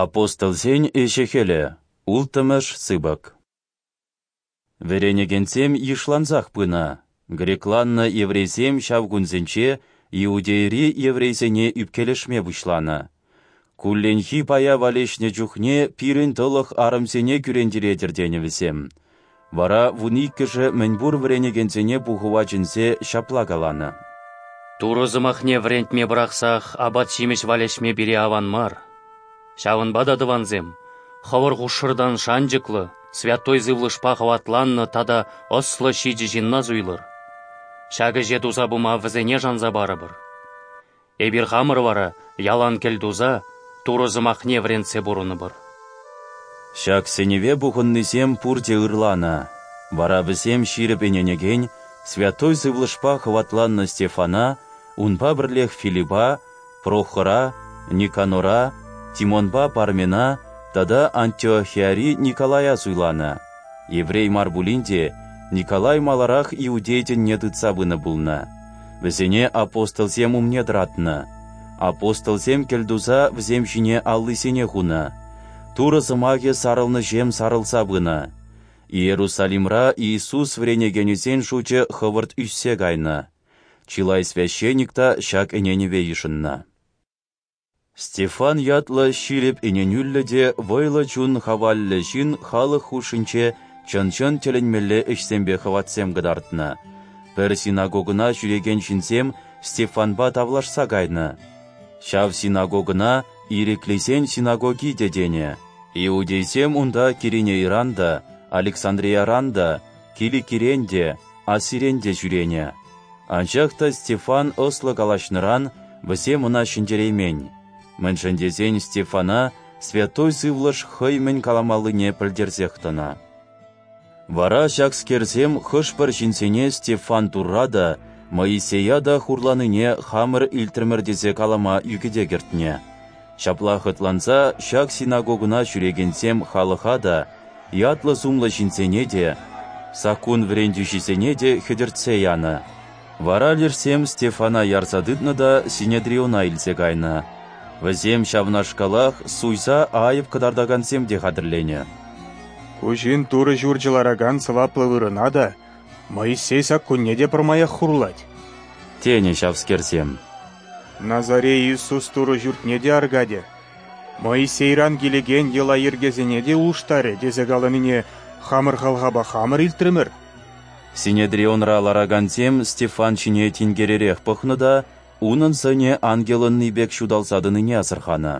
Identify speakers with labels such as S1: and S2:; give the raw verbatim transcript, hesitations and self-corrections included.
S1: Апостолсен ӗҫӗ-хӗлӗ, улттӑмӗш сыпӑк. Вӗренекенсем йышлансах пынӑ. Грекланнӑ еврейсем ҫав кунсенче Иудейӑри еврейсене ӳпкелешме пуҫланӑ. Кулленхи пая валеҫнӗ чухне пирӗн тӑлӑх арӑмсене кӳрентеретӗр тенӗ вӗсем. Вара вун иккӗшӗ мӗнпур вӗренекенсене пухӑва чӗнсе ҫапла каланӑ:
S2: Турӑ сӑмахне вӗрентме пӑрахсах апат-ҫимӗҫ валеҫме пире аван мар. Ҫавӑнпа та, тӑвансем, хӑвӑр хушшӑртан шанчӑклӑ, святой сывлӑшпа хӑватланнӑ тата ӑслӑ ҫичӗ ҫынна суйлӑр. Ҫак ӗҫе туса пыма вӗсене шанса парӑпӑр. Эпир хамӑр вара ялан кӗл туса Турӑ сӑмахне вӗрентсе пурӑнӑпӑр.
S1: Ҫак сӗнӗве пухӑннисем пурте ырланӑ. Вара вӗсем ҫирӗп ӗненекен, святой сывлӑшпа хӑватланнӑ Стефана, унпа пӗрлех Филиппа, Прохора, Никанора, Тимонпа Пармена тата Антиохияри Николая суйланӑ. Еврей мар пулин те, Николай маларах иудей тӗнне тытса пынӑ пулнӑ. Вӗсене апостолсем умне тӑратнӑ. Апостолсем кӗлтуса вӗсем ҫине аллисене хунӑ. Турӑ сӑмахӗ сарӑлнӑҫем сарӑлса пынӑ. Иерусалимра Иисус вӗренекенӗсен шучӗ хӑвӑрт ӳссе кайнӑ. Чылай священник та ҫак ӗненӗве йышӑннӑ. Стефан ятлӑ ҫирӗп ӗненӳллӗ те вӑйлӑ чун хаваллӗ ҫын халӑх хушшинче чӑн-чӑн тӗлӗнмелле ӗҫсемпе хӑватсем кӑтартнӑ. Пӗр синагогӑна ҫӳрекен ҫынсем Стефанпа тавлашса кайнӑ. Ҫав синагогӑна Ирӗклисен синагоги те тенӗ. Иудейсем унта Киринейран та, Александрийӑран та, Киликирен те, Асирен те ҫӳренӗ. Анчах та Стефан ӑслӑ калаҫнӑран вӗсем ӑна ҫӗнтереймен. Мӗншӗн тесен Стефана святой сывлӑш хӑй мӗн каламаллине пӗлтерсех тӑнӑ. Вара ҫакскерсем хӑш-пӗр ҫынсене Стефан Турра та, Моисея та хурланине хамӑр илтрӗмӗр тесе калама ӳкӗте кӗртнӗ. Ҫапла хӑтланса ҫак синагогӑна ҫӳрекенсем халӑха та, ятлӑ-сумлӑ ҫынсене те, саккун вӗрентӳҫисене те хӗтӗртсе янӑ. Вара лешсем Стефана ярса тытнӑ та Синедриона илсе кайнӑ. Вӗсем ҫавнашкалах суйса айӑп кӑтартакансем те хатӗрленӗ.
S3: Ку ҫын Турӑ ҫурчӗ ларакан сӑваплӑ вырӑна та, Моисей саккунне те пӗрмаях хурлать,
S1: тенӗ ҫавскерсем.
S3: Назарей Иисус Турӑ ҫуртне те аркатӗ, Моисейран килекен йӑла-йӗркесене те улӑштарӗ тесе каланине хамӑр халхапа хамӑр илтрӗмӗр.
S1: Синедрионра ларакансем Стефан ҫине тинкеререх пӑхнӑ та унӑн сӑнӗ ангелӑнни пек ҫуталса тӑнине асӑрханӑ.